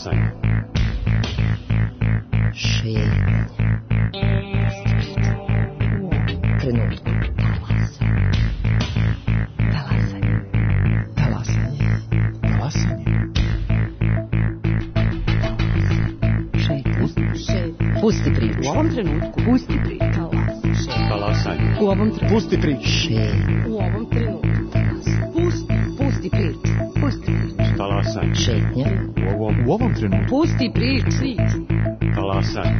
Talasanje. Šetnja. Trenutku. Pusti priču. U ovom trenutku. Pusti priču. Talasanje. U ovom trenutku. Pusti priču. U ovom trenutku. Pusti priču. Pusti priču. Talasanje. Šetnja. U ovom trenutku. Pusti priču. Talasanje.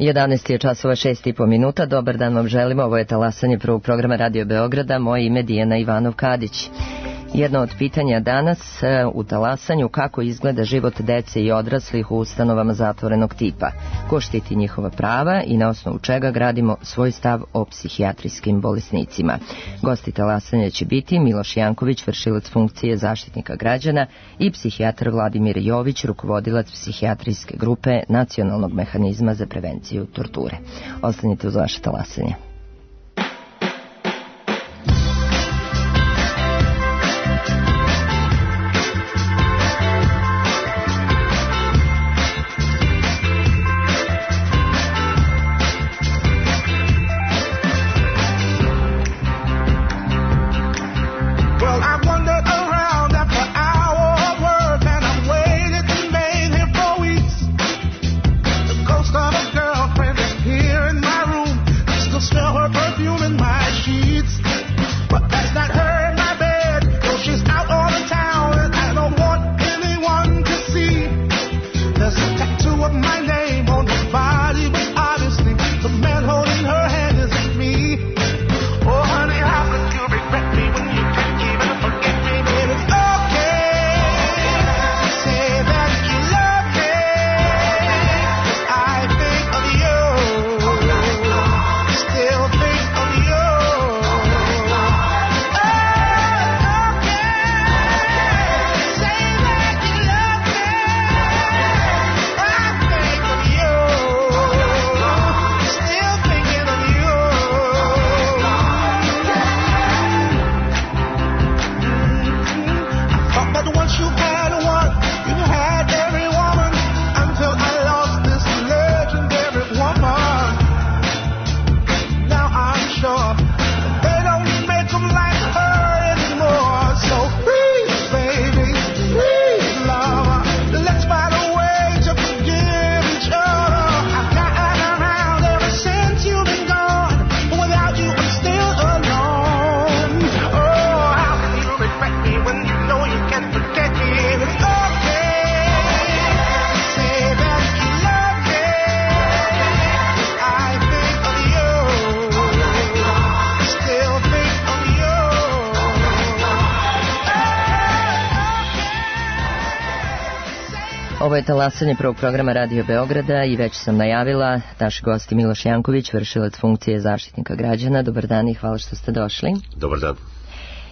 Jedanaest je časova 6,5 minuta. Dobar dan vam želimo. Ovo je Talasanje prvog programa Radio Beograda. Moje ime Dijana Ivanov-Kadić. Jedno od pitanja danas u Talasanju: kako izgleda život dece i odraslih u ustanovama zatvorenog tipa, ko štiti njihova prava i na osnovu čega gradimo svoj stav o psihijatrijskim bolesnicima. Gosti Talasanja će biti Miloš Janković, vršilac funkcije Zaštitnika građana, i psihijatar Vladimir Jović, rukovodilac psihijatrijske grupe Nacionalnog mehanizma za prevenciju torture. Ostanite uz vaše Talasanje. Ovo je Talasanje prvog programa Radio Beograda i već sam najavila naši gosti Miloš Janković, vršilac funkcije Zaštitnika građana. Dobar dan i hvala što ste došli. Dobar dan.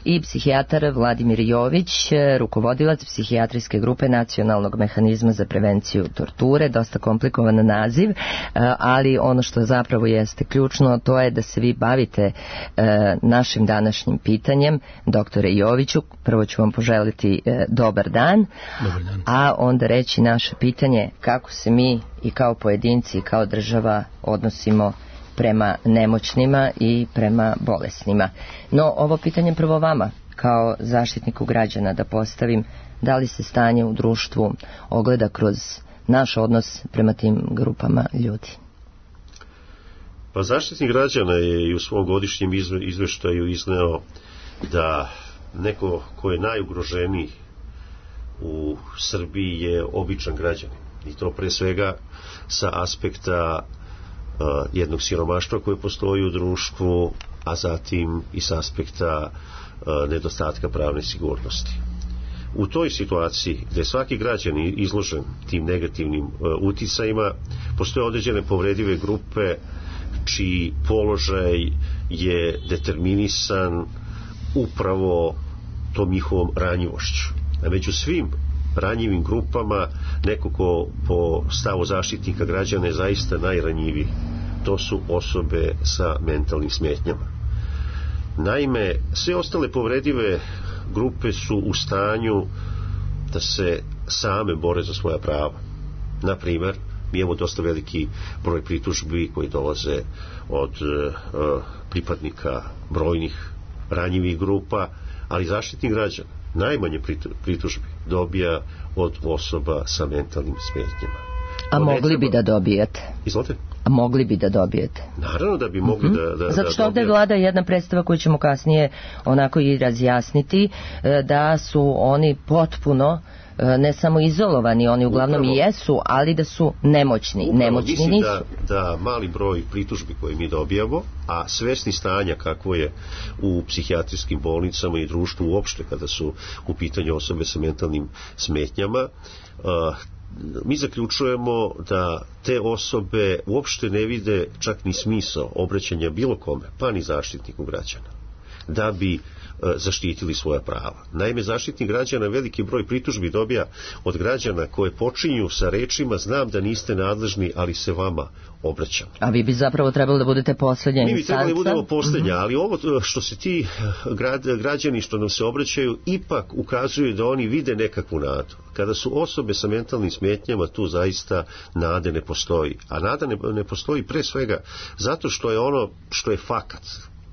I psihijatar Vladimir Jović, rukovodilac psihijatrijske grupe Nacionalnog mehanizma za prevenciju torture. Dosta komplikovan naziv, ali ono što zapravo jeste ključno, to je da se vi bavite našim današnjim pitanjem. Doktore Joviću, prvo ću vam poželiti dobar dan, a onda reći naše pitanje: kako se mi i kao pojedinci i kao država odnosimo prema nemoćnima i prema bolesnima. No, ovo pitanje prvo vama, kao zaštitniku građana, da postavim: da li se stanje u društvu ogleda kroz naš odnos prema tim grupama ljudi? Pa Zaštitnik građana je i u svom godišnjem izveštaju izneo da neko ko je najugroženiji u Srbiji je običan građanin. I to pre svega sa aspekta jednog siromaštva koje postoji u društvu, a zatim i s aspekta nedostatka pravne sigurnosti. u toj situaciji gdje svaki građanin izložen tim negativnim uticajima, postoje određene povredive grupe čiji položaj je determinisan upravo tom njihovom ranjivošću. A među svim ranjivim grupama, neko ko po stavu zaštitnika građana je zaista najranjiviji, to su osobe sa mentalnim smetnjama. Naime, sve ostale povredive grupe su u stanju da se same bore za svoja prava. Na primjer, mi imamo dosta veliki broj pritužbi koji dolaze od pripadnika brojnih ranjivih grupa, ali zaštitnik građana najmanje pritužbi dobija od osoba sa mentalnim smetnjama. A mogli bi da dobijete? Izvolite? A mogli bi da dobijete? Naravno da bi mogli da zato što ovdje vlada jedna predstava koju ćemo kasnije onako i razjasniti, da su oni potpuno ne samo izolovani, oni uglavnom i jesu, ali da su nemoćni. Nemoćni mislim nisu. Da mali broj pritužbi koje mi dobijamo, a svesni stanja kakvo je u psihijatrijskim bolnicama i društvu uopšte kada su u pitanju osobe sa mentalnim smetnjama, mi zaključujemo da te osobe uopšte ne vide čak ni smisao obraćanja bilo kome, pa ni zaštitniku građana, da bi zaštitili svoja prava. Naime, zaštitnik građana veliki broj pritužbi dobija od građana koje počinju sa rečima: znam da niste nadležni, ali se vama obraćam. A vi bi zapravo trebali da budete posljednja instanca? Mi bi trebali da budemo posljednja, ali ovo što se ti građani što nam se obraćaju ipak ukazuju da oni vide nekakvu nadu. Kada su osobe sa mentalnim smetnjama, tu zaista nade ne postoji. A nada ne postoji pre svega zato što je ono što je fakat.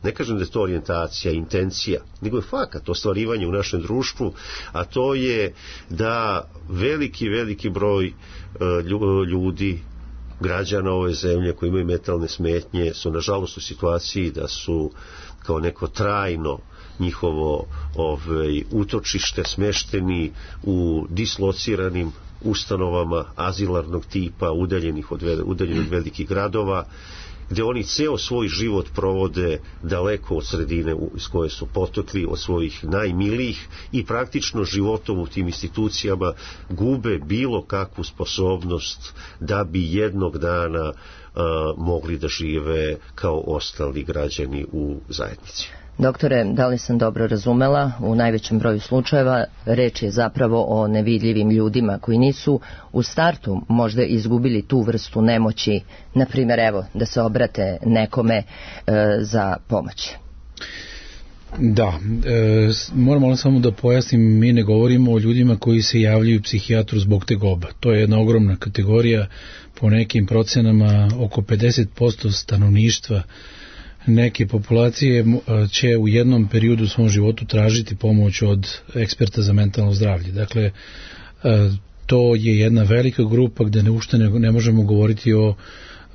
Ne kažem da je to orijentacija, intencija, nego je fakat ostvarivanje u našem društvu, a to je da veliki broj ljudi, građana ove zemlje koji imaju mentalne smetnje su nažalost u situaciji da su kao neko trajno njihovo utočište smešteni u dislociranim ustanovama azilarnog tipa, udaljeni od velikih gradova, gdje oni ceo svoj život provode daleko od sredine iz koje su potekli, od svojih najmilijih, i praktično životom u tim institucijama gube bilo kakvu sposobnost da bi jednog dana mogli da žive kao ostali građani u zajednici. Doktore, da li sam dobro razumela, u najvećem broju slučajeva reč je zapravo o nevidljivim ljudima koji nisu u startu možda izgubili tu vrstu nemoći, na primjer, evo, da se obrate nekome za pomoć. Da, moram samo da pojasnim, mi ne govorimo o ljudima koji se javljaju psihijatru zbog tegoba. To je jedna ogromna kategorija, po nekim procenama oko 50% stanovništva neke populacije će u jednom periodu u svom životu tražiti pomoć od eksperta za mentalno zdravlje. Dakle, to je jedna velika grupa gde uopšte ne možemo govoriti o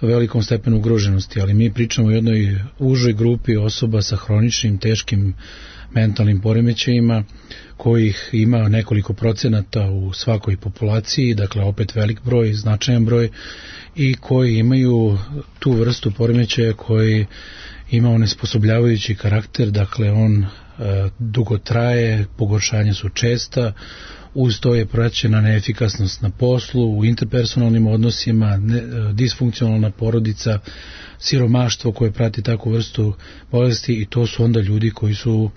velikom stepenu ugroženosti, ali mi pričamo o jednoj užoj grupi osoba sa hroničnim, teškim mentalnim poremećajima, kojih ima nekoliko procenata u svakoj populaciji, dakle opet velik broj, značajan broj, i koji imaju tu vrstu poremećaja koji ima onesposobljavajući karakter, dakle on dugo traje, pogoršanja su česta, uz to je praćena neefikasnost na poslu, u interpersonalnim odnosima, disfunkcionalna porodica, siromaštvo koje prati takvu vrstu bolesti, i to su onda ljudi koji su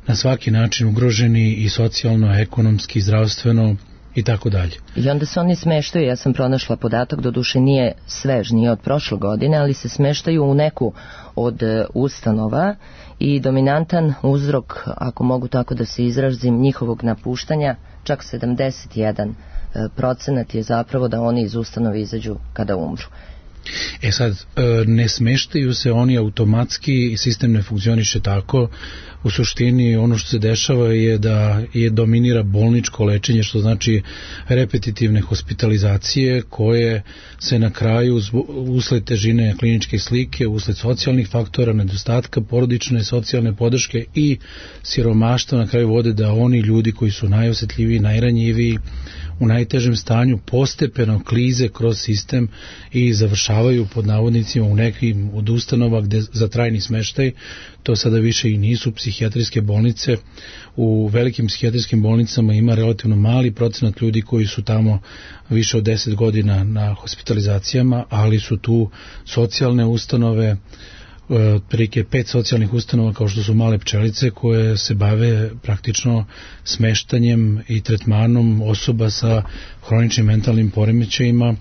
na svaki način ugroženi i socijalno, ekonomski, zdravstveno i tako dalje. I onda se oni smeštaju, ja sam pronašla podatak, doduše nije svež, nije od prošle godine, ali se smeštaju u neku od ustanova, i dominantan uzrok, ako mogu tako da se izrazim, njihovog napuštanja, čak 71% je zapravo da oni iz ustanove izađu kada umru. Sad, ne smeštaju se oni automatski, sistem ne funkcioniše tako. U suštini ono što se dešava je da dominira bolničko lečenje, što znači repetitivne hospitalizacije koje se na kraju usled težine kliničke slike, usled socijalnih faktora, nedostatka porodične socijalne podrške i siromaštva na kraju vode da oni ljudi koji su najosjetljiviji, najranjiviji, u najtežem stanju postepeno klize kroz sistem i završavaju završavaju pod navodnicima u nekim od ustanova gde za trajni smeštaj, to sada više i nisu psihijatrijske bolnice. U velikim psihijatrijskim bolnicama ima relativno mali procenat ljudi koji su tamo više od 10 godina na hospitalizacijama, ali su tu socijalne ustanove, otprilike 5 socijalnih ustanova kao što su Male pčelice, koje se bave praktično smeštanjem i tretmanom osoba sa hroničnim mentalnim poremećajima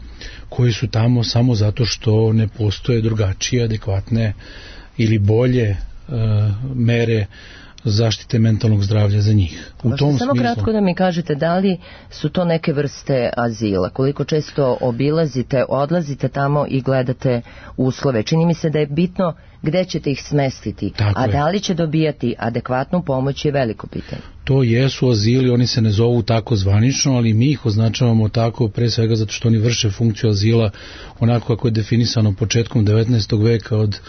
koji su tamo samo zato što ne postoje drugačije, adekvatne ili bolje mere zaštite mentalnog zdravlja za njih. U tom samo kratko da mi kažete, da li su to neke vrste azila? Koliko često obilazite, odlazite tamo i gledate uslove? Čini mi se da je bitno gde ćete ih smestiti, a da li će dobijati adekvatnu pomoć je veliko pitanje. To jesu azili, oni se ne zovu tako zvanično, ali mi ih označavamo tako pre svega zato što oni vrše funkciju azila onako kako je definisano početkom 19. veka od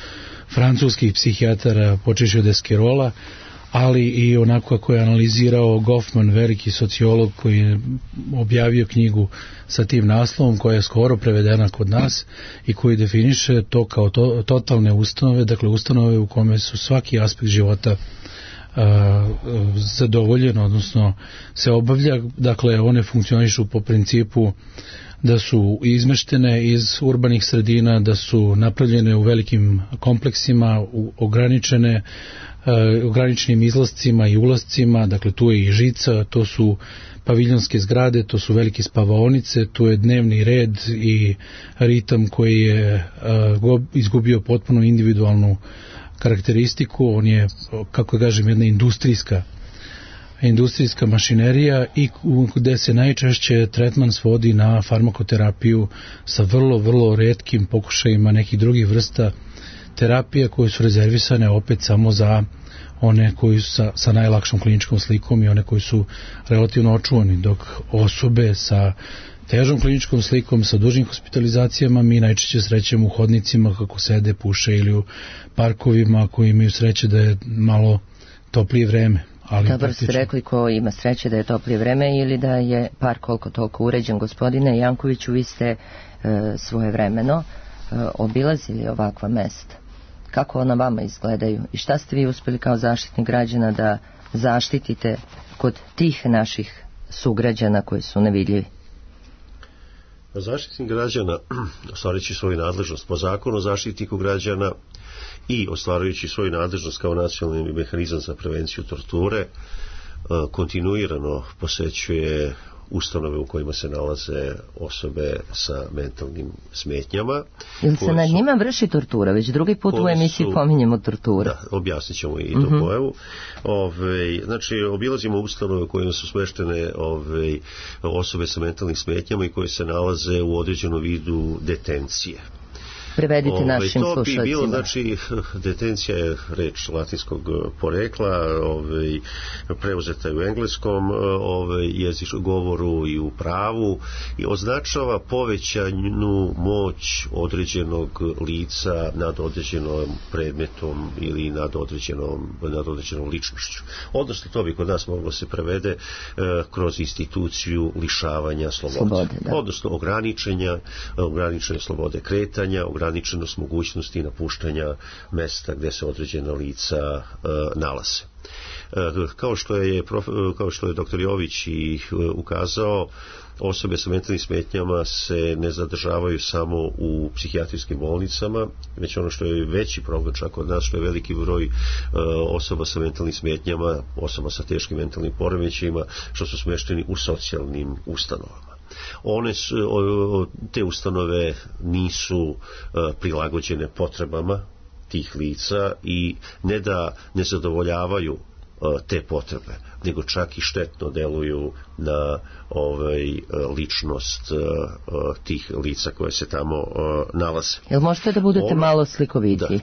francuskih psihijatara počeši od Esquirola, ali i onako kako je analizirao Goffman, veliki sociolog koji je objavio knjigu sa tim naslovom koja je skoro prevedena kod nas i koji definiše to kao totalne ustanove, dakle ustanove u kome su svaki aspekt života zadovoljen, odnosno se obavlja, dakle one funkcionišu po principu da su izmeštene iz urbanih sredina, da su napravljene u velikim kompleksima, ograničenim izlascima i ulazcima, dakle tu je i žica, to su paviljonske zgrade, to su velike spavaonice, tu je dnevni red i ritam koji je izgubio potpuno individualnu karakteristiku, on je, kako kažem, jedna industrijska mašinerija i gde se najčešće tretman svodi na farmakoterapiju sa vrlo, vrlo retkim pokušajima nekih drugih vrsta terapija koje su rezervisane opet samo za one koji su sa najlakšom kliničkom slikom i one koji su relativno očuvani, dok osobe sa težom kliničkom slikom, sa dužim hospitalizacijama mi najčešće srećemo u hodnicima kako sede, puše ili u parkovima koji imaju sreće da je malo toplije vreme. Dobro ste rekli, ko ima sreće da je toplije vreme ili da je park koliko toliko uređen. Gospodine Jankoviću, vi ste svojevremeno obilazili ovakva mesta. Kako ona vama izgledaju i šta ste vi uspeli kao zaštitnik građana da zaštitite kod tih naših sugrađana koji su nevidljivi? Zaštitnik građana, ostvarujući svoju nadležnost po zakonu o zaštitniku građana i ostvarujući svoju nadležnost kao nacionalni mehanizam za prevenciju torture, kontinuirano posećuje ustanove u kojima se nalaze osobe sa mentalnim smetnjama. Ili se nad njima vrši tortura? Već drugi put u emisiji pominjemo tortura. Da, objasnit ćemo i tu pojavu. Znači, obilazimo ustanove u kojima su smeštene osobe sa mentalnim smetnjama i koje se nalaze u određenom vidu detencije. Prevedite našim slušalcima. To bi bilo, znači, detencija je reč latinskog porekla, preuzeta je u engleskom govoru i u pravu i označava povećanu moć određenog lica nad određenom predmetom ili nad određenom ličnošću. Odnosno, to bi kod nas moglo se prevede kroz instituciju lišavanja slobode. Odnosno, ograničenje slobode kretanja, ograničenost mogućnosti napuštanja mesta gdje se određena lica nalaze. Kao što je dr. Jović i ukazao, osobe sa mentalnim smetnjama se ne zadržavaju samo u psihijatrijskim bolnicama, već ono što je veći problem čak od nas, što je veliki broj osoba sa mentalnim smetnjama, osoba sa teškim mentalnim poremećajima, što su smešteni u socijalnim ustanovama. Te ustanove nisu prilagođene potrebama tih lica i ne da ne zadovoljavaju te potrebe, nego čak i štetno deluju na ličnost tih lica koje se tamo nalaze. Jel možete da budete malo slikovitiji?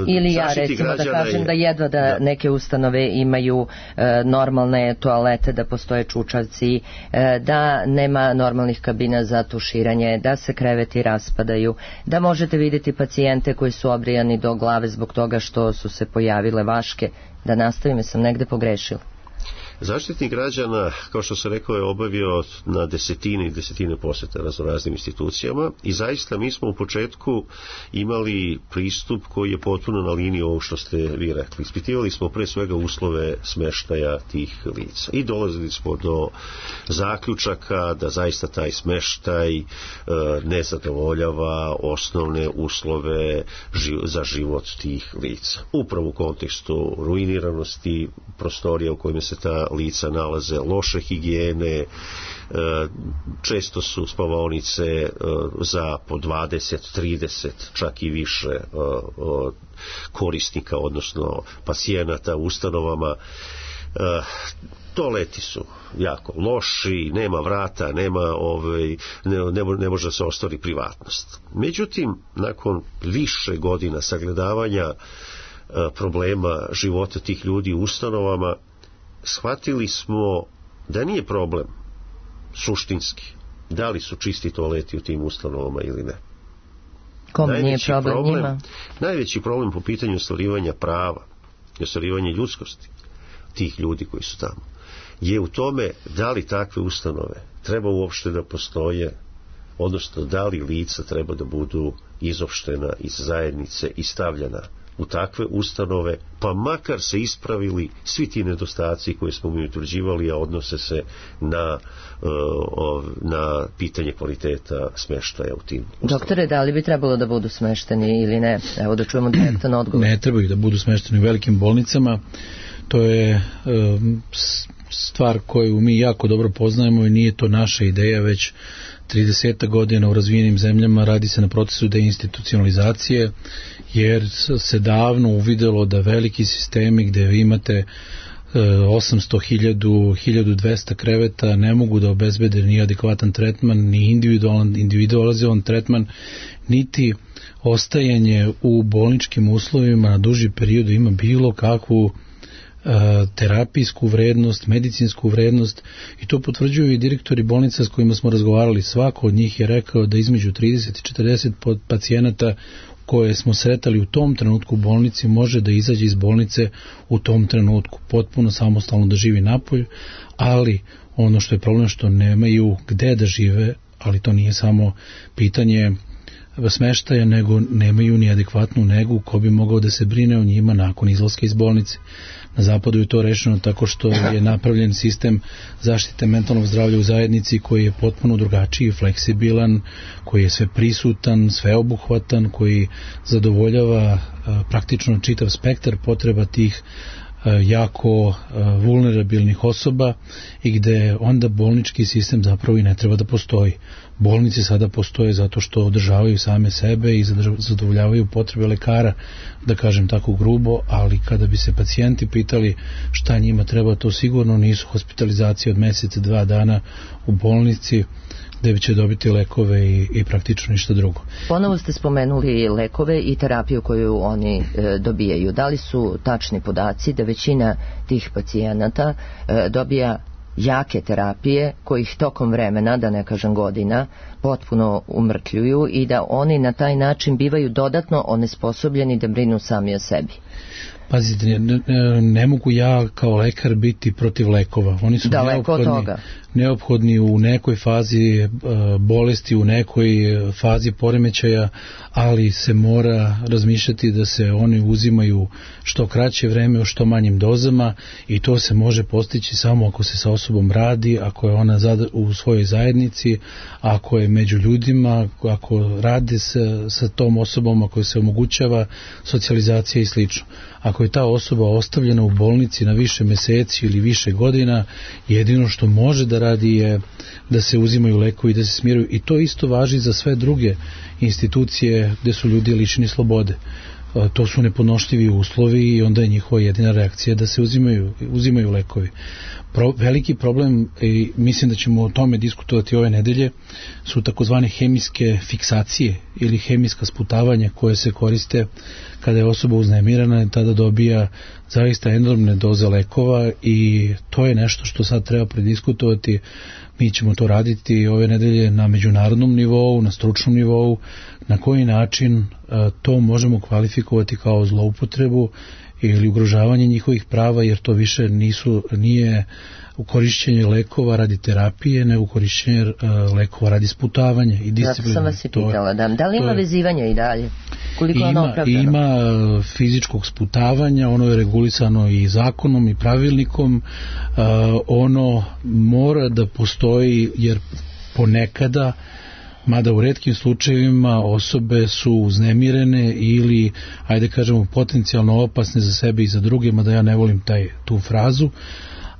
Ili ja recimo da kažem da jedva da neke ustanove imaju normalne toalete, da postoje čučavci, da nema normalnih kabina za tuširanje, da se kreveti raspadaju, da možete vidjeti pacijente koji su obrijani do glave zbog toga što su se pojavile vaške. Da nastavim, sam negde pogrešila. Zaštitnik građana, kao što se rekao, je obavio na desetine i desetine posjeta raznoraznim institucijama i zaista mi smo u početku imali pristup koji je potpuno na liniji ovog što ste vi rekli. Ispitivali smo pre svega uslove smeštaja tih lica i dolazili smo do zaključaka da zaista taj smeštaj ne zadovoljava osnovne uslove za život tih lica. Upravo u kontekstu ruiniranosti prostorija u kojima se ta lica nalaze, loše higijene, često su spavaonice za po 20, 30, čak i više korisnika, odnosno pacijenata u ustanovama. Toaleti su jako loši, nema vrata, ne može da se ostvari privatnost. Međutim, nakon više godina sagledavanja problema života tih ljudi u ustanovama, shvatili smo da nije problem suštinski da li su čisti toaleti u tim ustanovama ili ne. Kome nije problem njima? Najveći problem po pitanju ostvarivanja prava i ostvarivanja ljudskosti tih ljudi koji su tamo je u tome da li takve ustanove treba uopšte da postoje, odnosno da li lica treba da budu izopštena iz zajednice i stavljena u takve ustanove, pa makar se ispravili svi ti nedostaci koje smo mi utvrđivali, a odnose se na pitanje kvaliteta smeštaja u tim ustanovama. Doktore, da li bi trebalo da budu smešteni ili ne? Evo da čujemo direktan odgovor. Ne trebaju da budu smešteni u velikim bolnicama. To je stvar koju mi jako dobro poznajemo i nije to naša ideja, već 30 godina u razvijenim zemljama radi se na procesu deinstitucionalizacije, jer se davno uvidelo da veliki sistemi gde vi imate 800, 1200 kreveta ne mogu da obezbede ni adekvatan tretman, ni individualizovan tretman, niti ostajanje u bolničkim uslovima na duži period ima bilo kakvu terapijsku vrednost, medicinsku vrednost, i to potvrđuju i direktori bolnica s kojima smo razgovarali. Svako od njih je rekao da između 30 i 40 pacijenata koje smo sretali u tom trenutku u bolnici može da izađe iz bolnice u tom trenutku, potpuno samostalno da živi napolju, ali ono što je problem što nemaju gde da žive, ali to nije samo pitanje smeštaja, nego nemaju ni adekvatnu negu ko bi mogao da se brine o njima nakon izlaska iz bolnice. Na zapadu je to rešeno tako što je napravljen sistem zaštite mentalnog zdravlja u zajednici koji je potpuno drugačiji, fleksibilan, koji je sve prisutan, sveobuhvatan, koji zadovoljava praktično čitav spektar potreba tih jako vulnerabilnih osoba i gde onda bolnički sistem zapravo i ne treba da postoji. Bolnice sada postoje zato što održavaju same sebe i zadovoljavaju potrebe lekara, da kažem tako grubo, ali kada bi se pacijenti pitali šta njima treba, to sigurno nisu hospitalizacije od mjeseca, 2 dana u bolnici gde će dobiti lekove i praktično ništa drugo. Ponovo ste spomenuli lekove i terapiju koju oni dobijaju. Da li su tačni podaci da većina tih pacijenata dobija jake terapije kojih tokom vremena, da ne kažem godina, potpuno umrtljuju i da oni na taj način bivaju dodatno onesposobljeni da brinu sami o sebi? Pazite, ne mogu ja kao lekar biti protiv lekova. Oni su neophodni u nekoj fazi bolesti, u nekoj fazi poremećaja, ali se mora razmišljati da se oni uzimaju što kraće vreme u što manjim dozama i to se može postići samo ako se sa osobom radi, ako je ona u svojoj zajednici, ako je među ljudima, ako radi sa tom osobom, ako se omogućava socijalizacija i slično. Ako je ta osoba ostavljena u bolnici na više meseci ili više godina, jedino što može da radi je da se uzimaju lekovi i da se smiruju, i to isto važi za sve druge institucije gde su ljudi lišeni slobode. To su nepodnošljivi uslovi i onda je njihova jedina reakcija da se uzimaju lekovi. Veliki problem, i mislim da ćemo o tome diskutovati ove nedelje, su takozvane hemijske fiksacije ili hemijska sputavanja koje se koriste kada je osoba uznemirana i tada dobija zaista enormne doze lekova, i to je nešto što sad treba prediskutovati. Mi ćemo to raditi ove nedelje na međunarodnom nivou, na stručnom nivou, na koji način to možemo kvalifikovati kao zloupotrebu ili ugrožavanje njihovih prava, jer to više nije u korišćenje lekova radi terapije, nego u korišćenje lekova radi sputavanja i disciplina. Zato sam vas i pitala, da li ima vezivanja i dalje? Koliko je ono opravdano? Ima fizičkog sputavanja, ono je regulisano i zakonom i pravilnikom, ono mora da postoji, jer ponekada, mada u retkim slučajevima, osobe su uznemirene ili, ajde kažemo, potencijalno opasne za sebe i za druge, mada ja ne volim tu frazu,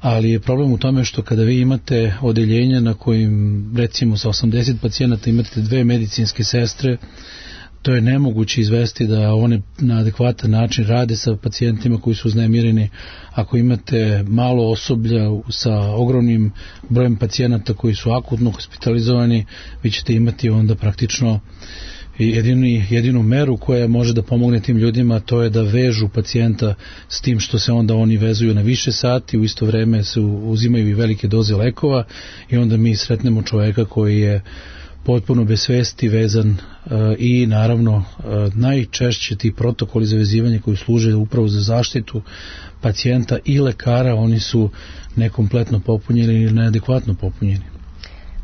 ali je problem u tome što kada vi imate odeljenja na kojim, recimo, sa 80 pacijenata imate 2 medicinske sestre, to je nemoguće izvesti da one na adekvatan način rade sa pacijentima koji su uznemireni. Ako imate malo osoblja sa ogromnim brojem pacijenata koji su akutno hospitalizovani, vi ćete imati onda praktično jedinu meru koja može da pomogne tim ljudima, to je da vežu pacijenta s tim što se onda oni vezuju na više sati, u isto vreme se uzimaju i velike doze lekova i onda mi sretnemo čoveka koji je potpuno bez svesti vezan i naravno najčešće ti protokoli za vezivanje koji služe upravo za zaštitu pacijenta i lekara, oni su nekompletno popunjeni ili neadekvatno popunjeni.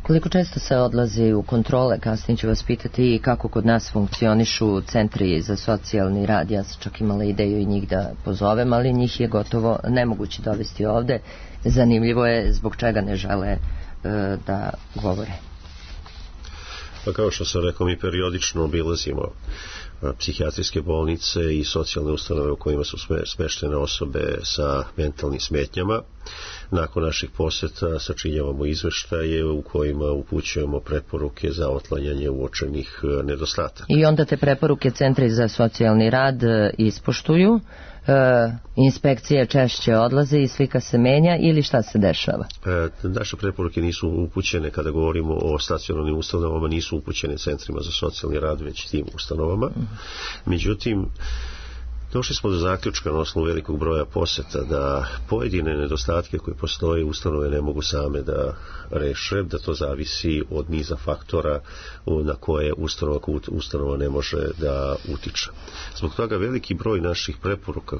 Koliko često se odlazi u kontrole, kasnije ću vas pitati i kako kod nas funkcionišu centri za socijalni rad, ja sam čak imala ideju i njih da pozovem, ali njih je gotovo nemoguće dovesti ovde. Zanimljivo je zbog čega ne žele da govore. Pa kao što sam rekao, mi periodično obilazimo psihijatrijske bolnice i socijalne ustanove u kojima su smeštene osobe sa mentalnim smetnjama. Nakon naših poseta sačinjavamo izveštaje u kojima upućujemo preporuke za otklanjanje uočenih nedostataka. I onda te preporuke centri za socijalni rad ispoštuju, inspekcije češće odlaze i slika se menja ili šta se dešava? Naše preporuke nisu upućene, kada govorimo o stacionarnim ustanovama, nisu upućene centrima za socijalni rad, već tim ustanovama. Međutim, došli smo do zaključka na osnovu velikog broja poseta da pojedine nedostatke koje postoje ustanove ne mogu same da reše, da to zavisi od niza faktora na koje ustanova ne može da utiče. Zbog toga veliki broj naših preporuka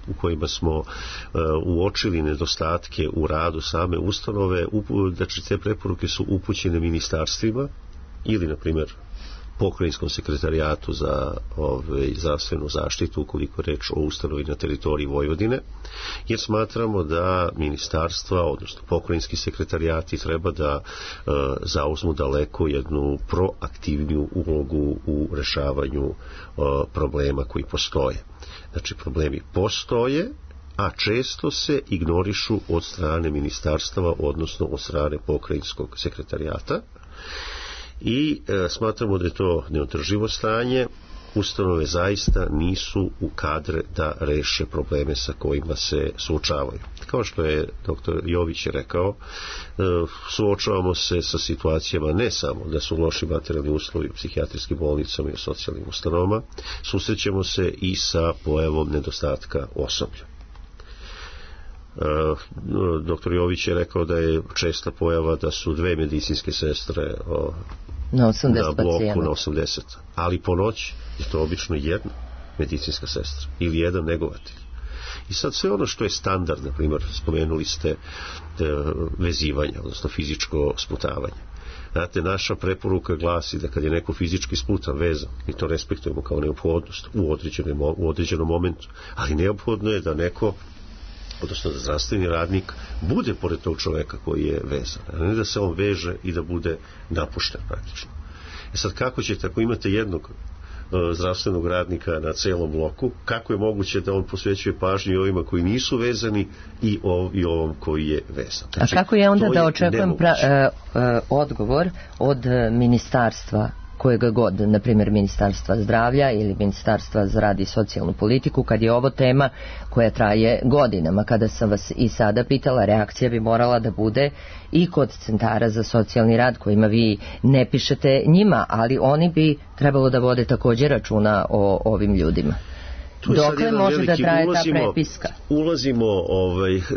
u kojima smo uočili nedostatke u radu same ustanove, znači te preporuke su upućene ministarstvima ili, na primjer, pokrajinskom sekretarijatu za zdravstvenu zaštitu, ukoliko je reč o ustanovi na teritoriji Vojvodine, jer smatramo da ministarstva, odnosno pokrajinski sekretarijati, treba da zauzmu daleko jednu proaktivniju ulogu u rešavanju problema koji postoje. Znači, problemi postoje, a često se ignorišu od strane ministarstava, odnosno od strane pokrajinskog sekretarijata. I smatramo da je to neodrživo stanje. Ustanove zaista nisu u kadre da reše probleme sa kojima se suočavaju. Kao što je dr. Jović rekao, suočavamo se sa situacijama ne samo da su loši materijalni uslovi u psihijatrijskim bolnicama i u socijalnim ustanovama, susrećemo se i sa pojavom nedostatka osoblja. Dr. Jović je rekao da je česta pojava da su 2 medicinske sestre na 80 na bloku pacijenta. na 80, ali po noći je to obično jedna medicinska sestra ili jedan negovatelj. I sad sve ono što je standard, na primjer, spomenuli ste vezivanje, odnosno fizičko sputavanje. Znate, naša preporuka glasi da kad je neko fizički sputan, vezan, mi to respektujemo kao neophodnost u određenom momentu, ali neophodno je da neko, odnosno da zdravstveni radnik bude pored tog čoveka koji je vezan, a ne da se on veže i da bude napušten praktično. Sad, kako ćete, ako imate jednog zdravstvenog radnika na celom bloku, kako je moguće da on posvećuje pažnju i ovima koji nisu vezani i ovom koji je vezan? Znači, a kako je onda da očekujem odgovor od ministarstva kojega god, na primjer Ministarstva zdravlja ili Ministarstva za rad i socijalnu politiku, kad je ovo tema koja traje godinama? Kada sam vas i sada pitala, reakcija bi morala da bude i kod centara za socijalni rad kojima vi ne pišete njima, ali oni bi trebalo da vode također računa o ovim ljudima. Dokle može da traje ta prepiska? Ulazimo,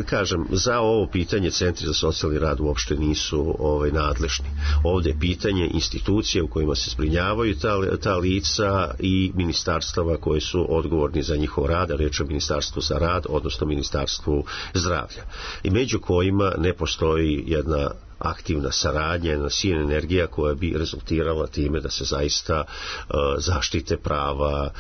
kažem, za ovo pitanje centri za socijalni rad uopšte nisu nadležni. Ovdje je pitanje institucije u kojima se zbrinjavaju ta lica i ministarstava koje su odgovorni za njihov rad, a reč je o Ministarstvu za rad, odnosno Ministarstvu zdravlja. I među kojima ne postoji jedna aktivna saradnja, jedna sinergija koja bi rezultirala time da se zaista zaštite prava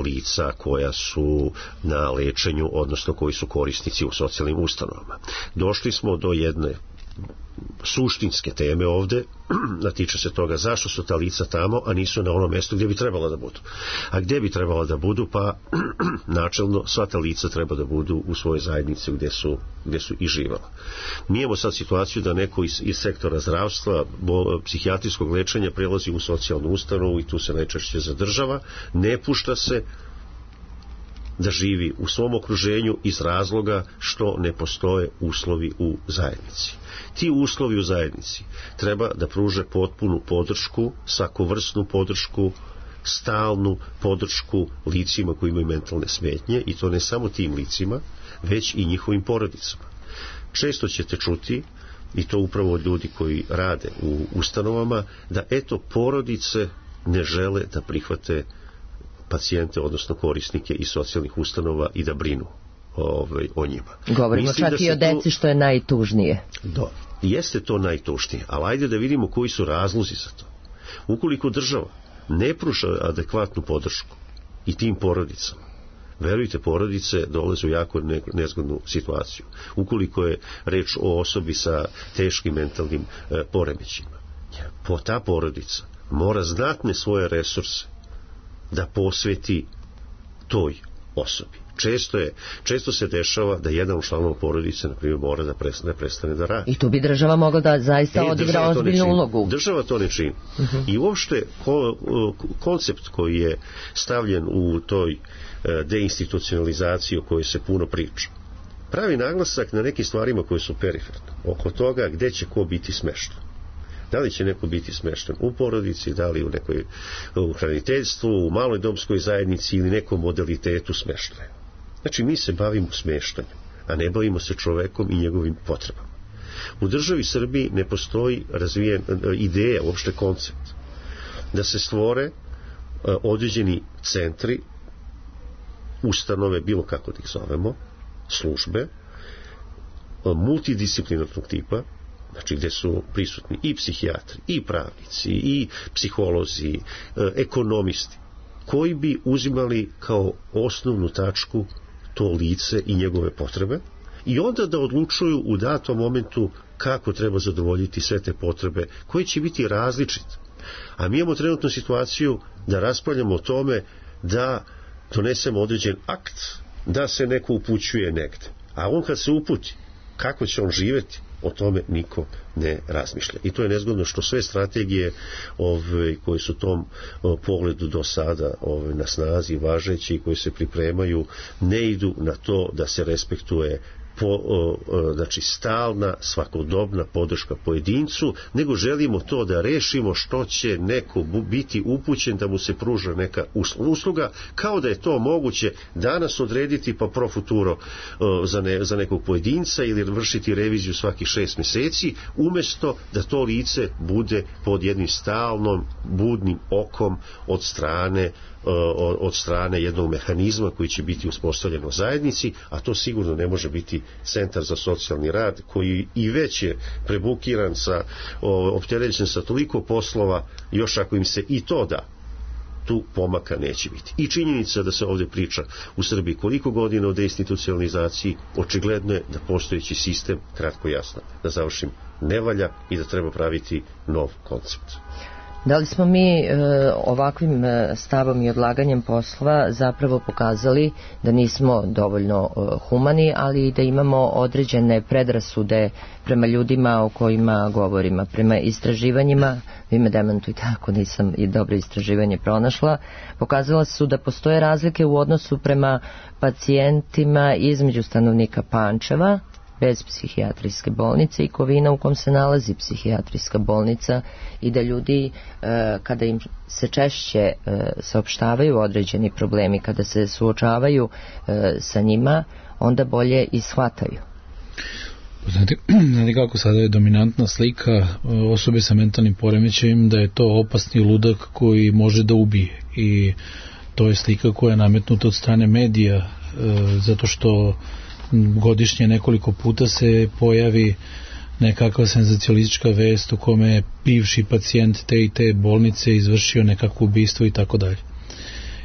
lica koja su na lečenju, odnosno koji su korisnici u socijalnim ustanovama. Došli smo do jedne suštinske teme ovde, da tiče se toga zašto su ta lica tamo, a nisu na onom mjestu gdje bi trebala da budu. A gdje bi trebala da budu? Pa načelno sva ta lica treba da budu u svojoj zajednici gdje su i živjela. Mi imamo sad situaciju da neko iz sektora zdravstva, psihijatrijskog lečenja prelazi u socijalnu ustanovu i tu se najčešće zadržava, ne pušta se da živi u svom okruženju iz razloga što ne postoje uslovi u zajednici. Ti uslovi u zajednici treba da pruže potpunu podršku, svakovrsnu podršku, stalnu podršku licima koji imaju mentalne smetnje, i to ne samo tim licima, već i njihovim porodicama. Često ćete čuti, i to upravo od ljudi koji rade u ustanovama, da eto porodice ne žele da prihvate pacijente, odnosno korisnike iz socijalnih ustanova i da brinu o njima. Govorimo Mislim čak i o deci, što je najtužnije. Da, jeste to najtužnije, ali ajde da vidimo koji su razlozi za to. Ukoliko država ne pruža adekvatnu podršku i tim porodicama, verujte, porodice dolaze u jako nezgodnu situaciju. Ukoliko je reč o osobi sa teškim mentalnim poremećima, ta porodica mora znatne svoje resurse da posveti toj osobi. Često se dešava da jedan od članova porodice, na primjer, mora da prestane da radi. I tu bi država mogla da zaista odigra ozbiljnu ulogu. Država to ne čini. I uopšte koncept koji je stavljen u toj deinstitucionalizaciji o kojoj se puno priča, pravi naglasak na nekim stvarima koje su periferne. Oko toga gde će ko biti smešten. Da li će neko biti smešten u porodici, da li u hraniteljstvu, u maloj domskoj zajednici ili nekom modalitetu smeštaja. Znači, mi se bavimo smeštanjem, a ne bavimo se čovekom i njegovim potrebama. U državi Srbiji ne postoji razvijen ideja, uopšte koncept, da se stvore određeni centri, ustanove, bilo kako da ih zovemo, službe, multidisciplinarnog tipa, znači gdje su prisutni i psihijatri, i pravnici, i psiholozi, ekonomisti, koji bi uzimali kao osnovnu tačku to lice i njegove potrebe i onda da odlučuju u datom momentu kako treba zadovoljiti sve te potrebe, koje će biti različite. A mi imamo trenutnu situaciju da raspravljamo o tome da donesemo određen akt, da se neko upućuje negde. A on kad se uputi, kako će on živjeti, o tome niko ne razmišlja. I to je nezgodno što sve strategije koje su u tom pogledu do sada na snazi važeći i koje se pripremaju ne idu na to da se respektuje znači stalna, svakodobna podrška pojedincu, nego želimo to da rešimo što će neko biti upućen da mu se pruža neka usluga, kao da je to moguće danas odrediti pa pro futuro za nekog pojedinca ili vršiti reviziju svakih 6 mjeseci, umjesto da to lice bude pod jednim stalnom budnim okom od strane jednog mehanizma koji će biti uspostavljen u zajednici, a to sigurno ne može biti centar za socijalni rad koji i već je prebukiran opterećen sa toliko poslova, još ako im se i to da, tu pomaka neće biti. I činjenica da se ovdje priča u Srbiji koliko godina o deinstitucionalizaciji, očigledno je da postojeći sistem, kratko jasno, da završim, ne valja i da treba praviti nov koncept. Da li smo mi ovakvim stavom i odlaganjem poslova zapravo pokazali da nismo dovoljno humani, ali i da imamo određene predrasude prema ljudima o kojima govorimo, prema istraživanjima, vi me demantujte ako nisam i dobro istraživanje pronašla, pokazala su da postoje razlike u odnosu prema pacijentima između stanovnika Pančeva, bez psihijatrijske bolnice i Kovina u kom se nalazi psihijatrijska bolnica i da ljudi kada im se češće saopštavaju određeni problemi, kada se suočavaju sa njima, onda bolje i shvataju. Znate kako sada je dominantna slika osobe sa mentalnim poremećajem da je to opasni ludak koji može da ubije, i to je slika koja je nametnuta od strane medija, zato što godišnje nekoliko puta se pojavi nekakva senzacionalistička vest u kome je bivši pacijent te i te bolnice izvršio nekakvo ubistvo i tako dalje.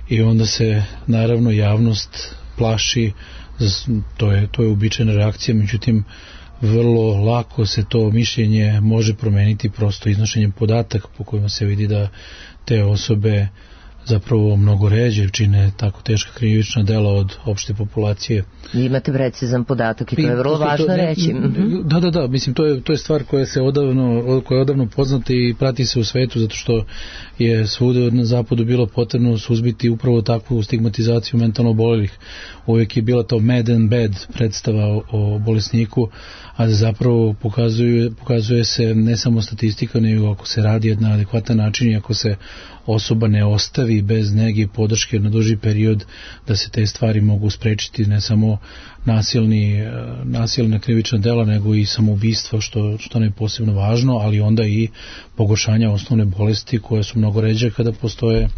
I onda se naravno javnost plaši, to je uobičajena reakcija, međutim vrlo lako se to mišljenje može promeniti prosto iznošenjem podataka po kojima se vidi da te osobe zapravo mnogo ređe čine tako teška krivična dela od opšte populacije. I imate precizan podatak i to je vrlo važno reći. Da, mislim to je stvar koja je odavno poznata i prati se u svetu, zato što je svuda na zapadu bilo potrebno suzbiti upravo takvu stigmatizaciju mentalno obolelih. Uvijek je bila to mad and bad predstava o bolesniku, a da zapravo pokazuje se ne samo statistika, nego ako se radi na adekvatan način i ako se osoba ne ostavi bez nege i podrške na duži period, da se te stvari mogu sprečiti, ne samo nasilna krivična dela, nego i samoubistva, što je posebno važno, ali onda i pogoršanja osnovne bolesti koje su mnogo ređe kada postoje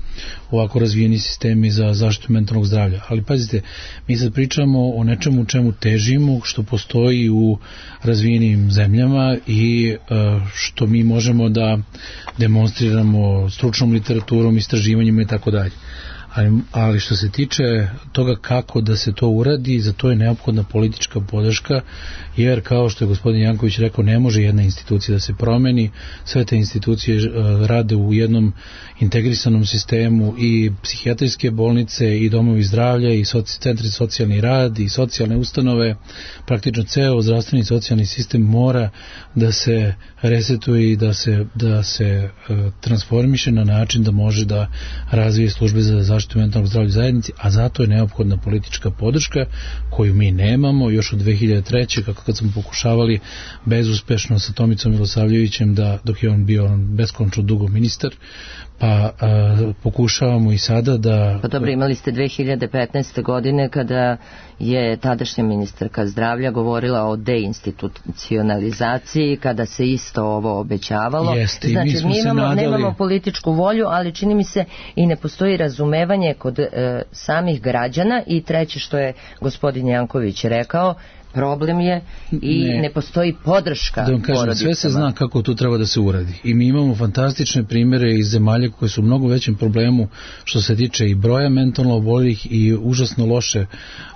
ovako razvijeni sistemi za zaštitu mentalnog zdravlja. Ali pazite, mi sad pričamo o nečemu čemu težimo, što postoji u razvijenim zemljama i što mi možemo da demonstriramo stručnom literaturom, istraživanjima i tako dalje. Ali što se tiče toga kako da se to uradi, za to je neophodna politička podrška, jer kao što je gospodin Janković rekao, ne može jedna institucija da se promeni, sve te institucije rade u jednom integrisanom sistemu, i psihijatrijske bolnice i domovi zdravlja i centri za socijalni rad i socijalne ustanove, praktično ceo zdravstveni socijalni sistem mora da se resetuje i da se transformiše na način da može da razvije službe za zaštitu mentalnog zdravlja u zajednici, a zato je neophodna politička podrška koju mi nemamo još od 2003. kako kad smo pokušavali bezuspešno sa Tomicom Milosavljevićem dok je on bio beskončno dugo ministar, pa pokušavamo i sada da... Pa dobro, imali ste 2015. godine kada je tadašnja ministarka zdravlja govorila o deinstitucionalizaciji, kada se isto ovo obećavalo. Znači, mi nemamo političku volju, ali čini mi se i ne postoji razumevanje kod samih građana, i treće što je gospodin Janković rekao, problem je i ne postoji podrška da vam kažem, porodicama. Sve se zna kako to treba da se uradi i mi imamo fantastične primere iz zemalja koje su u mnogo većem problemu što se tiče i broja mentalno oboljelih i užasno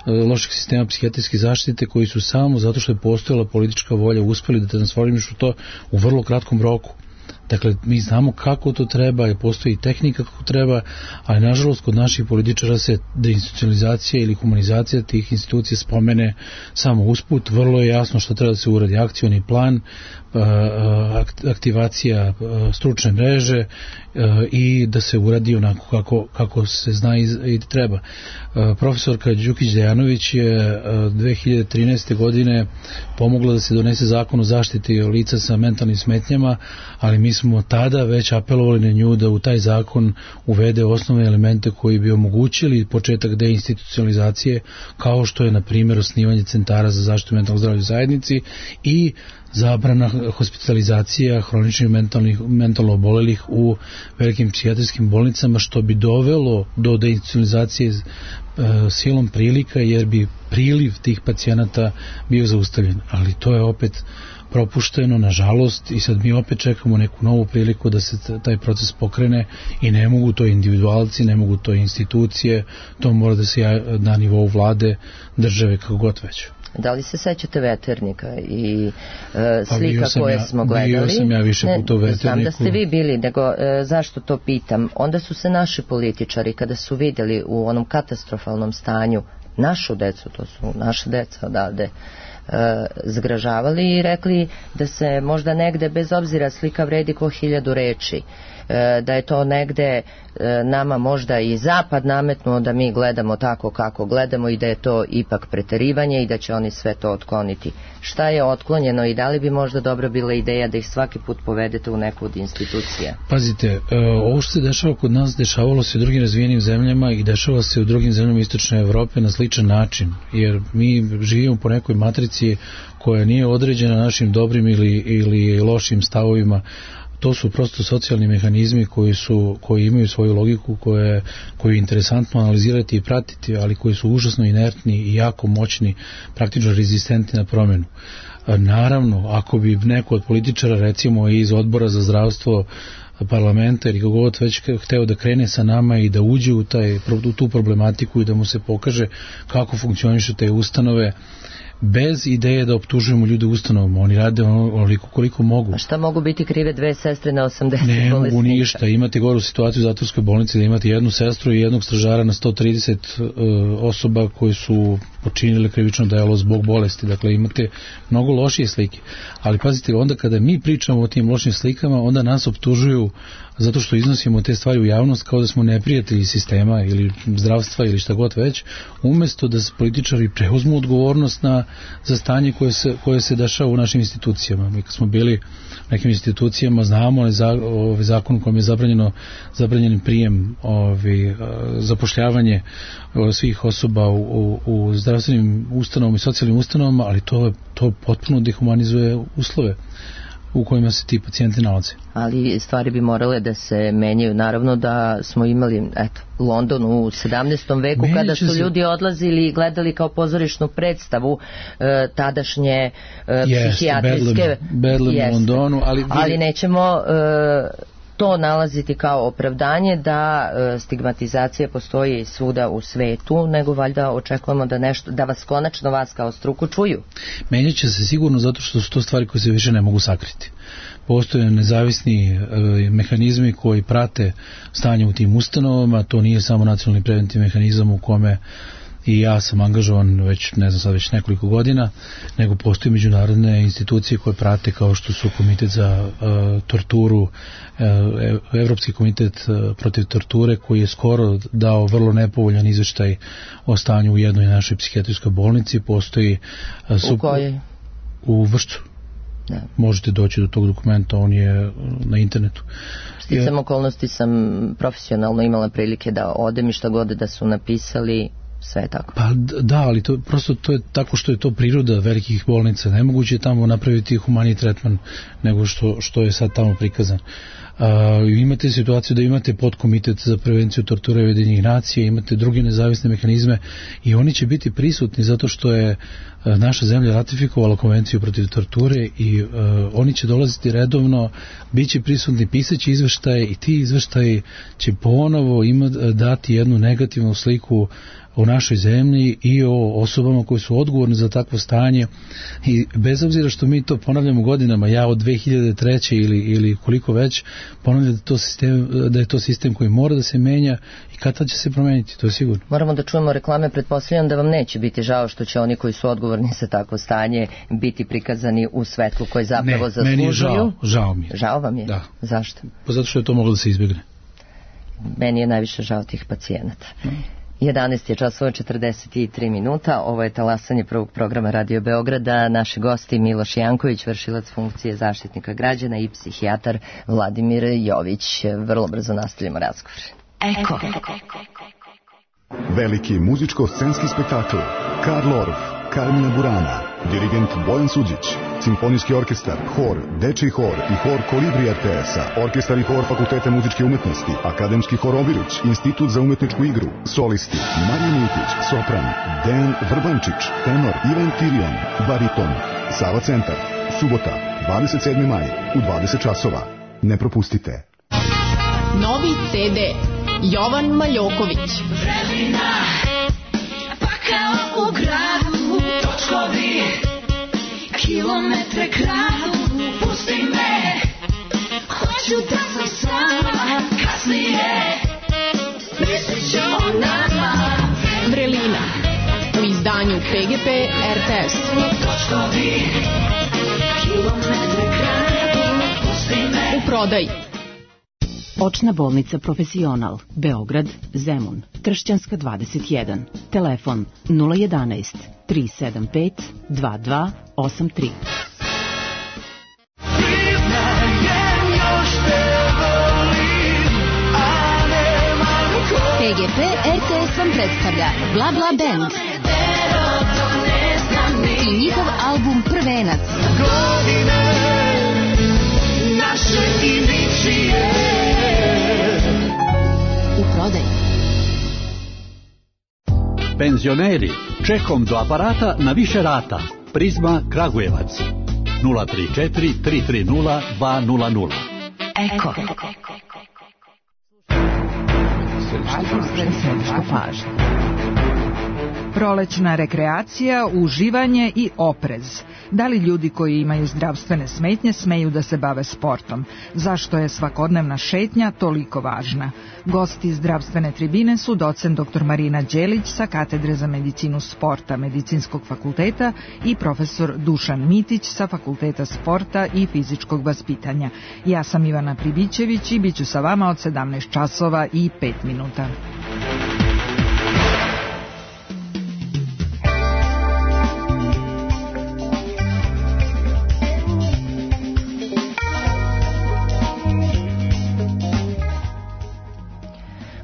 loših sistema psihijatrijske zaštite, koji su samo zato što je postojala politička volja uspeli da transformišu to u vrlo kratkom roku. Dakle, mi znamo kako to treba i postoji tehnika kako treba, ali nažalost kod naših političara se deinstitucionalizacija ili humanizacija tih institucija spomene samo usput. Vrlo je jasno što treba da se uradi: akcioni plan, aktivacija stručne mreže i da se uradi onako kako se zna i treba. Profesorka Đukić Dejanović je 2013. godine pomogla da se donese zakon o zaštiti lica sa mentalnim smetnjama, ali mi smo tada već apelovali na nju da u taj zakon uvede osnovne elemente koji bi omogućili početak deinstitucionalizacije, kao što je na primjer osnivanje centara za zaštitu mentalnog zdravlja u zajednici i zabrana hospitalizacija hroničnih mentalno obolelih u velikim psihijatrijskim bolnicama, što bi dovelo do deinstitucionalizacije silom prilika, jer bi priliv tih pacijenata bio zaustavljen. Ali to je opet propušteno, nažalost, i sad mi opet čekamo neku novu priliku da se taj proces pokrene i ne mogu to individualci, ne mogu to institucije, to mora da se na nivou vlade, države, kako god već. Da li se sećate Veternika i slika koje smo gledali? Bio sam ja više puta u Veterniku. Znam da ste vi bili, nego zašto to pitam? Onda su se naši političari, kada su vidjeli u onom katastrofalnom stanju našu decu, to su naše deca odavde, zgražavali i rekli da se možda negde, bez obzira, slika vredi ko 1000 reči. da je to negde nama možda i zapad nametnuo da mi gledamo tako kako gledamo i da je to ipak preterivanje i da će oni sve to otkloniti. Šta je otklonjeno i da li bi možda dobra bila ideja da ih svaki put povedete u neku od institucija? Pazite, ovo što se dešava kod nas dešavalo se u drugim razvijenim zemljama i dešava se u drugim zemljama Istočne Evrope na sličan način, jer mi živimo po nekoj matrici koja nije određena našim dobrim ili lošim stavovima. To su prosto socijalni mehanizmi koji imaju svoju logiku, koju je interesantno analizirati i pratiti, ali koji su užasno inertni i jako moćni, praktično rezistentni na promjenu. Naravno, ako bi neko od političara, recimo iz odbora za zdravstvo parlamenta ili kako god već hteo da krene sa nama i da uđe u tu problematiku i da mu se pokaže kako funkcionišu te ustanove, bez ideje da optužujemo ljude u ustanovama, oni rade onoliko koliko mogu. A šta mogu biti krive dve sestre na 80 bolesnika? Ne mogu ništa, imate goru situaciju u zatvorskoj bolnici da imate jednu sestru i jednog stražara na 130 osoba koji su počinili krivično delo zbog bolesti, dakle imate mnogo lošije slike, ali pazite, onda kada mi pričamo o tim lošim slikama, onda nas optužuju zato što iznosimo te stvari u javnost kao da smo neprijatelji sistema ili zdravstva ili šta god već, umjesto da se političari preuzmu odgovornost za stanje koje se dešava u našim institucijama. Mi kad smo bili u nekim institucijama znamo zakon u kojem je zabranjen prijem, zapošljavanje svih osoba u zdravstvenim ustanovama i socijalnim ustanovama, ali to potpuno dehumanizuje uslove u kojima se ti pacijenti nalaze. Ali stvari bi morale da se menjaju. Naravno da smo imali London u 17. veku kada su ljudi odlazili i gledali kao pozorišnu predstavu tadašnje psihijatrijske Bedlam u Londonu, ali nećemo to nalaziti kao opravdanje da stigmatizacija postoji svuda u svetu, nego valjda očekujemo da vas konačno vas kao struku čuju. Menjat će se sigurno zato što su to stvari koje se više ne mogu sakriti. Postoje nezavisni mehanizmi koji prate stanje u tim ustanovama, to nije samo nacionalni preventivni mehanizam u kome i ja sam angažovan već nekoliko godina, nego postoje međunarodne institucije koje prate, kao što su Komitet za torturu, Evropski komitet protiv torture, koji je skoro dao vrlo nepovoljan izveštaj o stanju u jednoj našoj psihijatrijskoj bolnici. Postoji u kojoj? U Vršcu. Da. Možete doći do tog dokumenta, on je na internetu. Sticam okolnosti sam profesionalno imala prilike da odem i šta god da su napisali, sve je tako. Pa da, ali to je tako što je to priroda velikih bolnica. Nemoguće je tamo napraviti humaniji tretman nego što je sad tamo prikazan. Imate situaciju da imate podkomitet za prevenciju torture Ujedinjenih nacija, imate druge nezavisne mehanizme i oni će biti prisutni zato što je naša zemlja ratifikovala konvenciju protiv torture i oni će dolaziti redovno, bit će prisutni, pisaći izveštaje i ti izveštaji će ponovo dati jednu negativnu sliku o našoj zemlji i o osobama koji su odgovorni za takvo stanje i bez obzira što mi to ponavljamo godinama, ja od 2003. ili koliko već ponavljam da je to sistem koji mora da se menja i kada će se promeniti, to je sigurno. Moramo da čujemo reklame, pretpostavljam da vam neće biti žao što će oni koji su odgovorni za takvo stanje biti prikazani u svetlu koje zapravo zaslužuju. Ne, meni je žao mi je. Žao vam je? Da. Zašto? Pa zato što je to moglo da se izbjegne. Meni je najviše žao tih pacijenata. 11 je časova 43 minuta, ovo je talasanje prvog programa Radio Beograda. Naši gosti Miloš Janković, vršilac funkcije zaštitnika građana, i psihijatar Vladimir Jović. Vrlo brzo nastavljamo razgovor. Eko. Veliki muzičko-scenski spektakl Karl Orff, Carmina Burana, dirigent Bojan Suđić, simfonijski orkestar, hor, dečiji hor i hor Kolibri RTS-a, orkestar i hor Fakulteta muzičke umetnosti, akademski hor Obilić, institut za umetničku igru, solisti Marija Miletić, sopran, Dejan Vrbančić, tenor Ivan Tirion, bariton, Sava centar, subota, 27. maj, u 20 časova. Ne propustite. Novi CD Jovan Maljoković. Vremena, pa kao u gradu, točkovi, kilometre kradu, pusti me, hoću da sam sama, kasnije, mislit ću o nama. Vrelina, u izdanju PGP RTS. Točkovi, kilometre kradu, pusti me. U prodaji. Očna bolnica Profesional, Beograd, Zemun, Tršćanska 21, telefon 011 375 2283. PGP RTS vam predstavlja Bla Bla Band i njihov album Prvenac. U prodaju. Penzioneri, čekom do aparata na više rata. Prizma Kragujevac 034 330 200. Eko. Prolećna rekreacija, uživanje i oprez. Da li ljudi koji imaju zdravstvene smetnje smeju da se bave sportom? Zašto je svakodnevna šetnja toliko važna? Gosti zdravstvene tribine su docent dr. Marina Đelić sa Katedre za medicinu sporta Medicinskog fakulteta i profesor Dušan Mitić sa Fakulteta sporta i fizičkog vaspitanja. Ja sam Ivana Pribićević i bit ću sa vama od 17 časova i 5 minuta.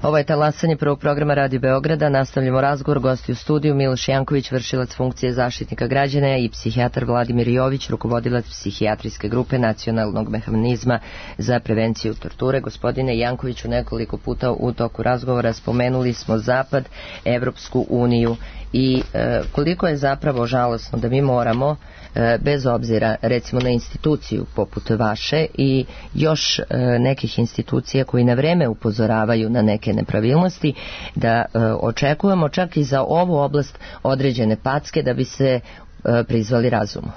Ovo je talasanje prvog programa Radio Beograda. Nastavljamo razgovor. Gosti u studiju Miloš Janković, vršilac funkcije zaštitnika građana, i psihijatar Vladimir Jović, rukovodilac psihijatrijske grupe Nacionalnog mehanizma za prevenciju torture. Gospodine Jankoviću, nekoliko puta u toku razgovora spomenuli smo Zapad, Evropsku uniju i koliko je zapravo žalosno da mi moramo, bez obzira recimo na instituciju poput vaše i još nekih institucija koji na vreme upozoravaju na neke nepravilnosti, da očekujemo čak i za ovu oblast određene packe da bi se prizvali razumu.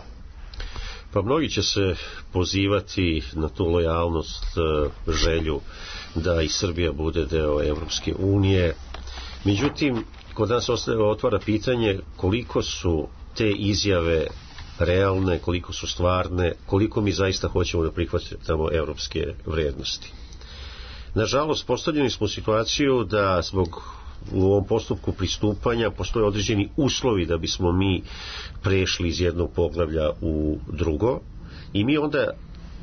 Pa mnogi će se pozivati na tu lojalnost, želju da i Srbija bude deo Evropske unije. Međutim, kod nas otvara pitanje koliko su te izjave realne, koliko su stvarne, koliko mi zaista hoćemo da prihvatimo evropske vrednosti. Nažalost, postavljeni smo u situaciju da zbog u ovom postupku pristupanja postoje određeni uslovi da bismo mi prešli iz jednog poglavlja u drugo i mi onda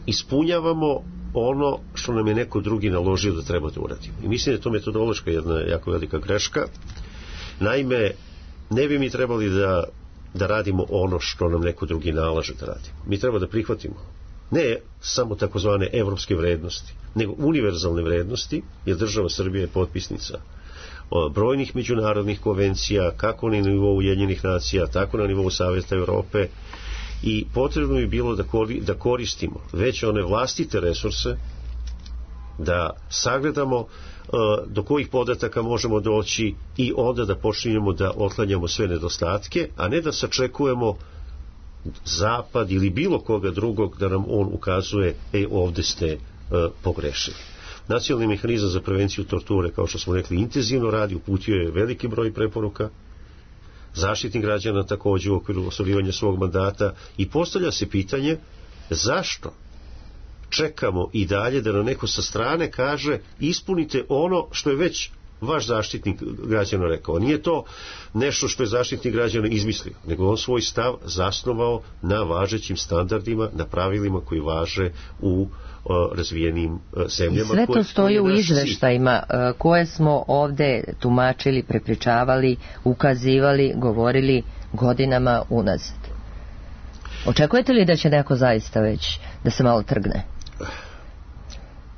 ispunjavamo ono što nam je neko drugi naložio da treba da uradimo. I mislim da je to metodološka jedna jako velika greška. Naime, ne bi mi trebali da radimo ono što nam neko drugi nalaže da radimo. Mi treba da prihvatimo ne samo takozvane evropske vrednosti, nego univerzalne vrednosti, jer država Srbija je potpisnica brojnih međunarodnih konvencija, kako na nivou Ujedinjenih nacija, tako na nivou Saveta Evrope, i potrebno bi bilo da koristimo već one vlastite resurse, da sagledamo do kojih podataka možemo doći i onda da počinjemo da otklanjamo sve nedostatke, a ne da sačekujemo Zapad ili bilo koga drugog da nam on ukazuje ovdje ste pogrešili. Nacionalni mehanizam za prevenciju torture, kao što smo rekli, intenzivno radi, uputio je veliki broj preporuka, Zaštitnik građana također u okviru ostvarivanja svog mandata, i postavlja se pitanje zašto čekamo i dalje da nam neko sa strane kaže ispunite ono što je već vaš zaštitnik građana rekao. Nije to nešto što je zaštitnik građana izmislio, nego on svoj stav zasnovao na važećim standardima, na pravilima koji važe u razvijenim zemljama. Sve to stoji u izveštajima koje smo ovde tumačili, prepričavali, ukazivali, govorili godinama unazad. Očekujete li da će neko zaista već da se malo trgne?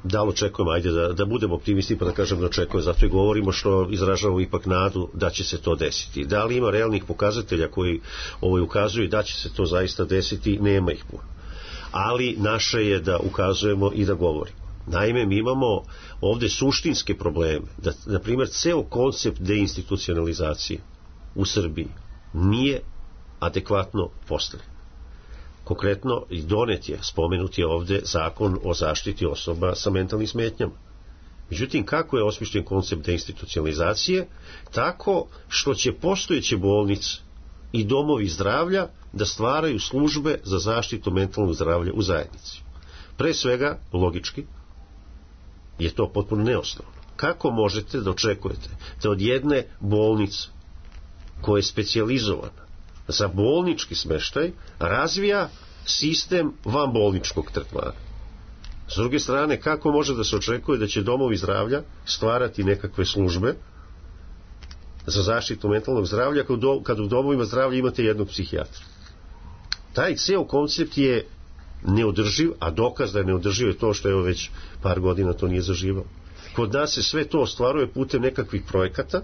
Da li očekujemo, ajde da budemo optimisti pa da kažem da očekujemo, zato i govorimo što izražavamo ipak nadu da će se to desiti. Da li ima realnih pokazatelja koji ukazuju da će se to zaista desiti? Nema ih puno. Ali naše je da ukazujemo i da govorimo. Naime, mi imamo ovdje suštinske probleme, da, na primjer, ceo koncept deinstitucionalizacije u Srbiji nije adekvatno postavljen. Konkretno, i donet je, spomenut je ovdje zakon o zaštiti osoba sa mentalnim smetnjama. Međutim, kako je osmišljen koncept deinstitucionalizacije? Tako što će postojeće bolnice i domovi zdravlja da stvaraju službe za zaštitu mentalnog zdravlja u zajednici. Pre svega, logički, je to potpuno neosnovno. Kako možete da očekujete da od jedne bolnice koja je specijalizovana za bolnički smeštaj razvija sistem vanbolničkog tretmana? S druge strane, kako može da se očekuje da će domovi zdravlja stvarati nekakve službe za zaštitu mentalnog zdravlja kad u domovima zdravlja imate jednog psihijatra? Taj ceo koncept je neodrživ, a dokaz da je neodrživ je to što je već par godina to nije zaživalo. Kod nas se sve to ostvaruje putem nekakvih projekata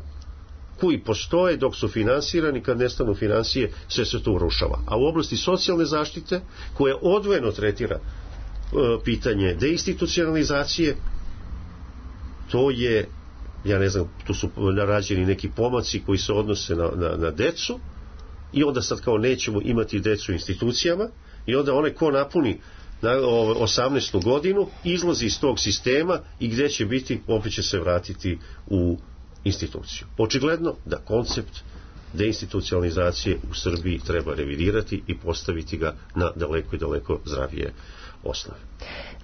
koji postoje dok su finansirani, kad nestanu financije sve se to urušava. A u oblasti socijalne zaštite, koja odvojeno tretira pitanje deinstitucionalizacije, to je, ja ne znam, tu su rađeni neki pomaci koji se odnose na decu, i onda sad kao nećemo imati decu u institucijama, i onda onaj ko napuni 18. godinu izlazi iz tog sistema i gdje će biti, opet će se vratiti u instituciju. Očigledno da koncept deinstitucionalizacije u Srbiji treba revidirati i postaviti ga na daleko i daleko zdravije osnove.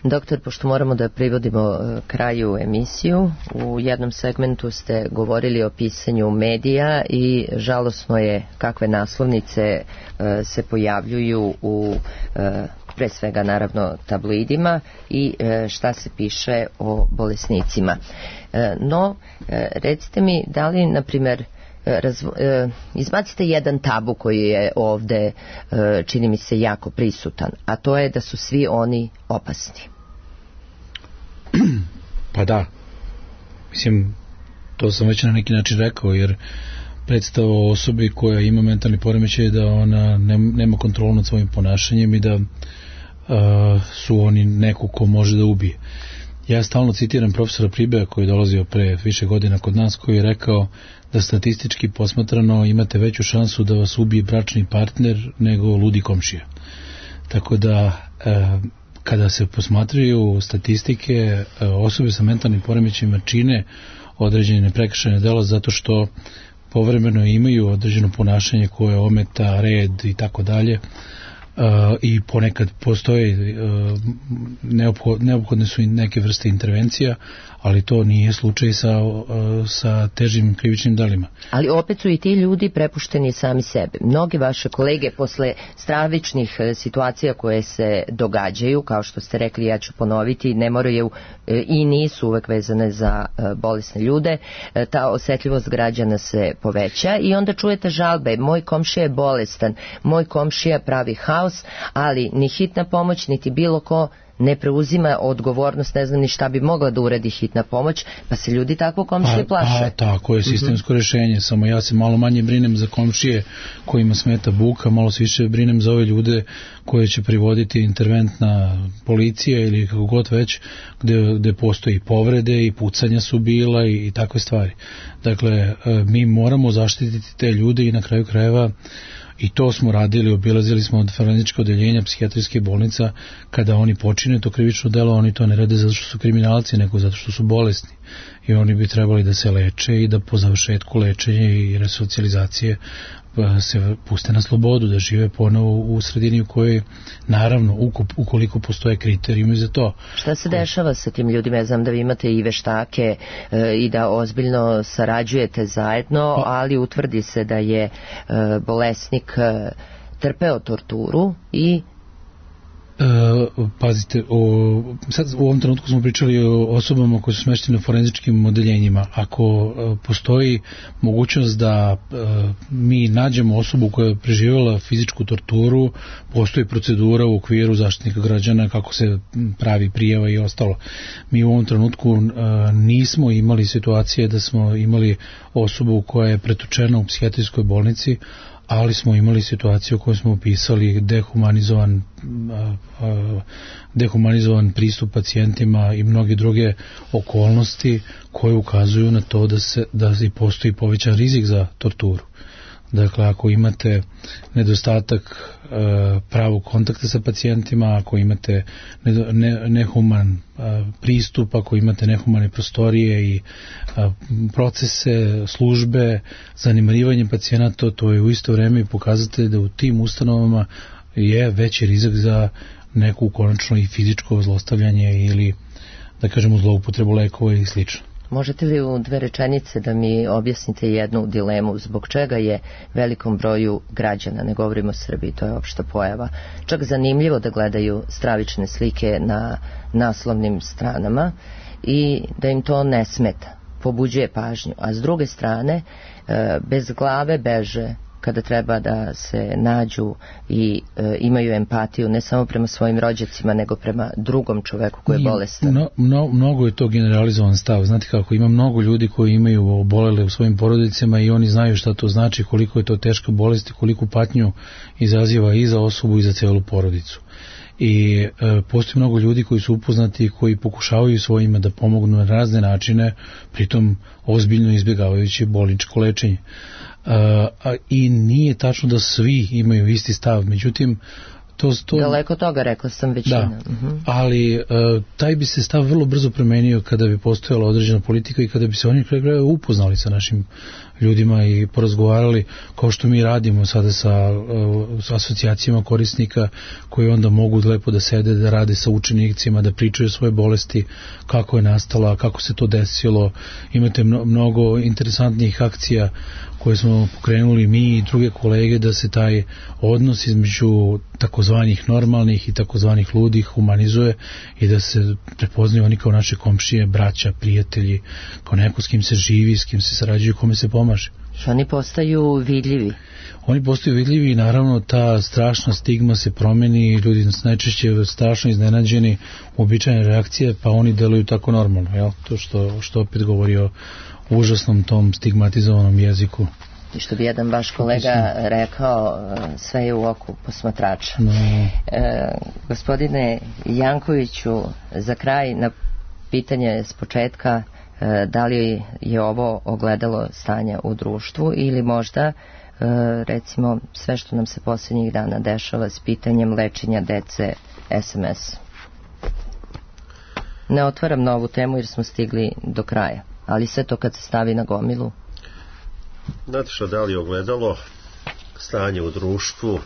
Doktor, pošto moramo da privodimo kraju emisiju, u jednom segmentu ste govorili o pisanju medija i žalosno je kakve naslovnice se pojavljuju u pre svega naravno tabloidima i šta se piše o bolesnicima. No, recite mi, da li, na primjer, izbacite jedan tabu koji je ovde, čini mi se, jako prisutan, a to je da su svi oni opasni. Pa da, mislim, to sam već na neki način rekao, jer predstava o osobi koja ima mentalni poremećaj da ona nema kontrolu nad svojim ponašanjem i da su oni neko ko može da ubije. Ja stalno citiram profesora Pribeja koji je dolazio pre više godina kod nas, koji je rekao da statistički posmatrano imate veću šansu da vas ubije bračni partner nego ludi komšija. Tako da kada se posmatraju statistike, osobe sa mentalnim poremećajima čine određene prekršajne dela zato što povremeno imaju određeno ponašanje koje ometa red i tako dalje, i ponekad postoje neophodne su i neke vrste intervencija, ali to nije slučaj sa težim krivičnim delima. Ali opet su i ti ljudi prepušteni sami sebe. Mnogi vaše kolege posle stravičnih situacija koje se događaju, kao što ste rekli, ja ću ponoviti, ne moraju i nisu uvek vezane za bolesne ljude, ta osetljivost građana se poveća i onda čujete žalbe, moj komšija je bolestan, moj komšija pravi haos, ali ni hitna pomoć, niti bilo ko ne preuzima odgovornost, ne znam ni šta bi mogla da uredi hitna pomoć, pa se ljudi takvo komšije plaše. Tako je sistemsko rješenje, samo ja se malo manje brinem za komšije kojima smeta buka, malo se više brinem za ove ljude koje će privoditi interventna policija ili kako god već, gde postoji povrede i pucanja su bila i takve stvari. Dakle, mi moramo zaštititi te ljude i na kraju krajeva i to smo radili, obilazili smo od forenzičkog odeljenja psihijatrijske bolnica, kada oni počine to krivično delo, oni to ne rade zato što su kriminalci, nego zato što su bolesni. I oni bi trebali da se leče i da po završetku lečenja i resocijalizacije se puste na slobodu, da žive ponovo u sredini u kojoj, naravno, ukoliko postoje kriterijumi za to. Šta se dešava sa tim ljudima? Ja znam da vi imate i veštake i da ozbiljno sarađujete zajedno, ali utvrdi se da je bolesnik trpeo torturu i pazite, sad u ovom trenutku smo pričali o osobama koje su smeštene u forenzičkim odeljenjima. Ako postoji mogućnost da mi nađemo osobu koja je preživjela fizičku torturu, postoji procedura u okviru Zaštitnika građana kako se pravi prijava i ostalo. Mi u ovom trenutku nismo imali situacije da smo imali osobu koja je pretučena u psihijatrijskoj bolnici, ali smo imali situaciju koju smo opisali, dehumanizovan pristup pacijentima i mnoge druge okolnosti koje ukazuju na to da postoji povećan rizik za torturu. Dakle, ako imate nedostatak pravog kontakta sa pacijentima, ako imate nehuman pristup, ako imate nehumane prostorije i procese, službe, zanemarivanje pacijenata, to je u isto vrijeme i pokazatelj da u tim ustanovama je veći rizik za neku konačno i fizičko zlostavljanje ili da kažemo, zloupotrebu lekova i slično. Možete li u 2 rečenice da mi objasnite jednu dilemu zbog čega je velikom broju građana, ne govorimo o Srbiji, to je opšta pojava, čak zanimljivo da gledaju stravične slike na naslovnim stranama i da im to ne smeta, pobuđuje pažnju, a s druge strane bez glave beže kada treba da se nađu i imaju empatiju ne samo prema svojim rođacima nego prema drugom čoveku koji je bolestan. Mnogo je to generalizovan stav. Znate kako, ima mnogo ljudi koji imaju obolele u svojim porodicama i oni znaju šta to znači, koliko je to teška bolest i koliku patnju izaziva i za osobu i za celu porodicu. I postoji mnogo ljudi koji su upoznati i koji pokušavaju svojima da pomognu na razne načine, pritom ozbiljno izbjegavajući bolničko lečenje. I nije tačno da svi imaju isti stav, međutim daleko toga, rekla sam većina. Ali taj bi se stav vrlo brzo promenio kada bi postojala određena politika i kada bi se oni upoznali sa našim ljudima i porazgovarali kao što mi radimo sada sa asocijacijama korisnika koji onda mogu lepo da sede, da rade sa učenicima, da pričaju svoje bolesti, kako je nastala, kako se to desilo. Imate mnogo interesantnih akcija koje smo pokrenuli mi i druge kolege da se taj odnos između takozvanih normalnih i takozvanih ludih humanizuje i da se prepoznaju oni kao naše komšije, braća, prijatelji, kao neko s kim se živi, s kim se sarađuju, kome se pomaže. Što oni postaju vidljivi? Oni postaju vidljivi i naravno ta strašna stigma se promeni, ljudi najčešće strašno iznenađeni uobičajene reakcije, pa oni deluju tako normalno, jel? To što opet govori o užasnom tom stigmatizovanom jeziku. I što bi jedan vaš kolega rekao, sve je u oku posmatrača. Gospodine Jankoviću, za kraj na pitanje s početka, da li je ovo ogledalo stanja u društvu ili možda recimo sve što nam se posljednjih dana dešava s pitanjem lečenja dece SMS. Ne otvaram novu temu jer smo stigli do kraja, ali sve to kad se stavi na gomilu. Znate što, da li je ogledalo stanje u društvu,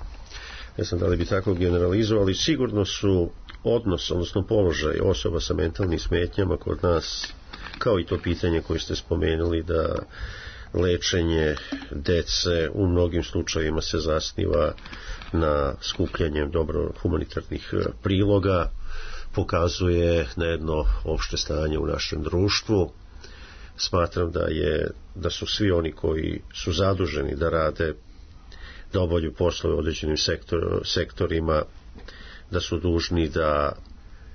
ne znam da li bi tako generalizovali, sigurno su odnos, odnosno položaj osoba sa mentalnim smetnjama kod nas, kao i to pitanje koje ste spomenuli, da lečenje dece u mnogim slučajevima se zasniva na skupljanjem dobro humanitarnih priloga, pokazuje na jedno opšte stanje u našem društvu. Smatram da su svi oni koji su zaduženi da rade, da obavljaju poslove u određenim sektorima, da su dužni da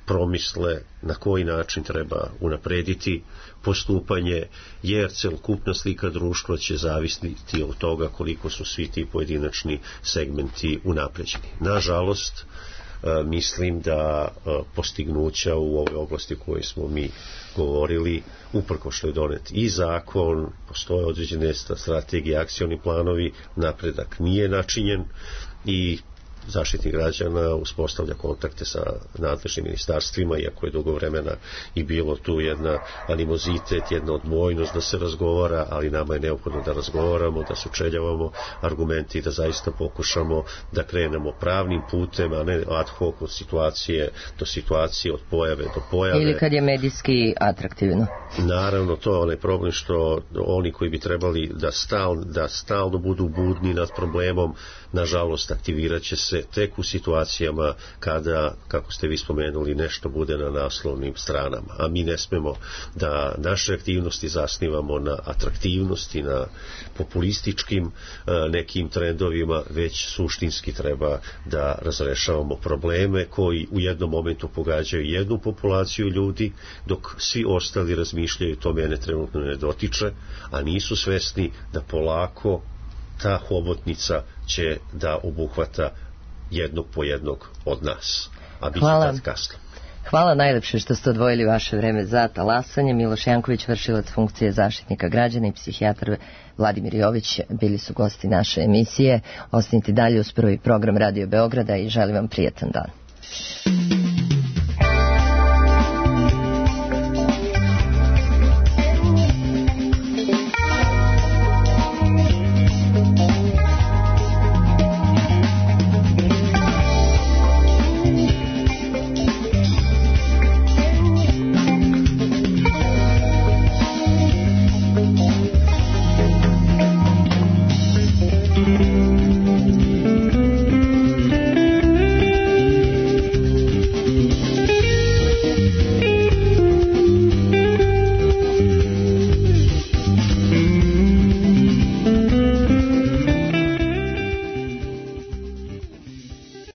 promisle na koji način treba unaprediti postupanje, jer celokupna slika društva će zavisiti od toga koliko su svi ti pojedinačni segmenti unapređeni. Nažalost, mislim da postignuća u ovoj oblasti koje smo mi govorili, uprko što je donet i zakon, postoje određene strategije, akcioni planovi, napredak nije načinjen i Zaštitnik građana uspostavlja kontakte sa nadležnim ministarstvima, iako je dugo vremena i bilo tu jedna animozitet, jedna odbojnost da se razgovara, ali nama je neophodno da razgovaramo, da sučeljavamo argumenti, da zaista pokušamo da krenemo pravnim putem, a ne ad hoc od situacije do situacije, od pojave do pojave. Ili kad je medijski atraktivno. Naravno, to je onaj problem što oni koji bi trebali da stalno budu budni nad problemom, nažalost aktivirat će se tek u situacijama kada, kako ste vi spomenuli, nešto bude na naslovnim stranama. A mi ne smemo da naše aktivnosti zasnivamo na atraktivnosti, na populističkim nekim trendovima, već suštinski treba da razrešavamo probleme koji u jednom momentu pogađaju jednu populaciju ljudi, dok svi ostali razmišljaju to mene trenutno ne dotiče, a nisu svesni da polako ta hobotnica će da obuhvata jednog po jednog od nas, a bit će tad kasno. Hvala najlepše što ste odvojili vaše vreme za talasanje. Miloš Janković, vršilac funkcije Zaštitnika građana, i psihijatar Vladimir Jović bili su gosti naše emisije. Ostanite dalje uz prvi program Radio Beograda i želim vam prijatan dan.